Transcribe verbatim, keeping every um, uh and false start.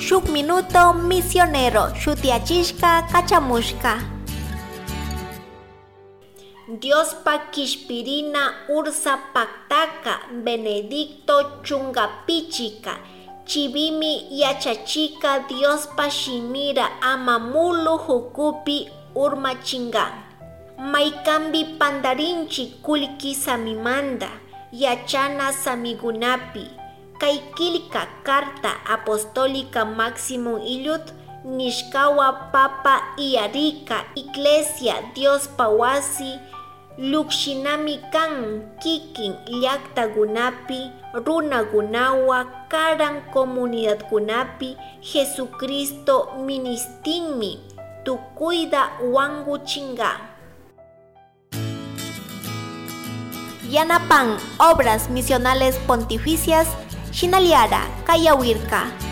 Shuk Minuto Misionero shutiyachishka kachamushka. Diospa kishpirina ursa paktaka Benedicto chungapichika chibimi yachachika Diospa shimira ama mulu hukupi urmachinga. Maykambi pandarinchi kullki samimanda yachana samigunapi kay killka Carta Apostólica Maximum Illud nishkawa Papa iyarika Iglesia Diospa wasi llukshinami kan kikin llaktakunapi runakunawa karan comunidadkunapi Jesucristo ministinmi tukuyta wankuchinka. Yanapan Obras Misionales Pontificias Shinaliara Kayawirka.